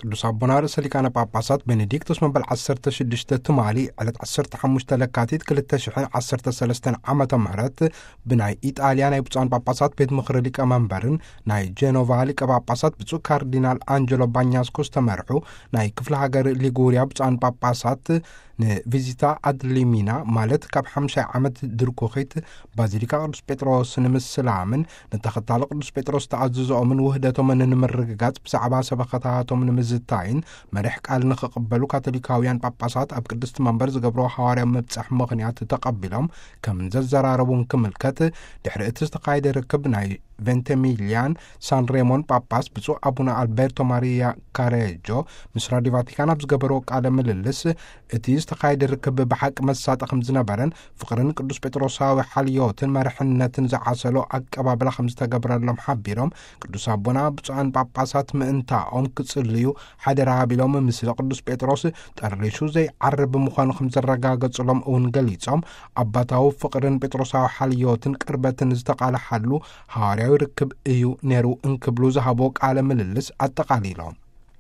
ቅዱስ ኣቦና ርእሰ ሊቃነ ጳጳሳት ቤኔዲክቶስ መበል ዓሰርተ ሽዱሽተ ትማሊ ዕለት ዓሰርተ ሓሙሽተ ለካቲት ክልተ ሽሕን ዓሰርተ ሰለስተን ዓመተ ምህረት ብናይ ኢጣልያ ናይ ብፁዓን ጳጳሳት ቤት ምኽሪ ሊቀመንበርን ናይ ጄኖቫ ሊቀ ጳጳሳት ብፁዕ ካርዲናል ኣንጀሎ ባኛስኮ ዝተመርሑ ናይ ክፍለ ሃገር ሊጉርያ ብፁዓን ጳጳሳት ንቪዚታ ኣድሊሚና፣ ማለት ካብ ሓምሻይ ዓመት ድርኩኺት ባዚሊካ ቅዱስ ጴጥሮስ ንምስላምን ንተኸታሊ ቅዱስ ጴጥሮስ ተኣዝዞኦምን ውህደቶምን ንምርግጋጽ ብዛዕባ ሰበኸታቶም ንምዝታይን መሪሕ ቃል ንኽቕበሉ ካቶሊካውያን ጳጳሳት ኣብ ቅድስቲ መንበር ዝገብሮ ሃዋርያ ምብጻሕ ምኽንያት ተቐቢሎም ከም ዘዘራረቡን ክምልከት፣ ድሕሪ እቲ ዝተኻየደ ርክብ ናይ ቬንቴሚልያን ሳን ሬሞን ጳጳስ ብፁዕ ኣቡነ ኣልቤርቶ ማሪያ ካሬጆ ምስ ራዲዮ ቫቲካን ኣብ ዝገበርዎ ቃለ ምልልስ፣ እቲ ዝተኻየደ ርክብ ብሓቂ መሳጢ ከም ዝነበረን ፍቕርን ቅዱስ ጴጥሮሳዊ ሓልዮትን መርሕነትን ዝዓሰሎ ኣቀባብላ ከም ዝተገብረሎም ሓቢሮም፣ ቅዱስ ኣቦና ብፁዓን ጳጳሳት ምእንታኦም ክጽልዩ ሓደራ ቢሎም፣ ምስሊ ቅዱስ ጴጥሮስ ጠሪሹ ዘይዓርብ ምዃኑ ከም ዘረጋገጹሎም እውን ገሊጾም፣ ኣባታዊ ፍቕርን ጴጥሮሳዊ ሓልዮትን ቅርበትን ዝተቓልሓሉ ሃዋርያዊ ርክብ እዩ ነይሩ እንክብሉ ዝሃቦ ቃለ ምልልስ ኣጠቓሊሎም።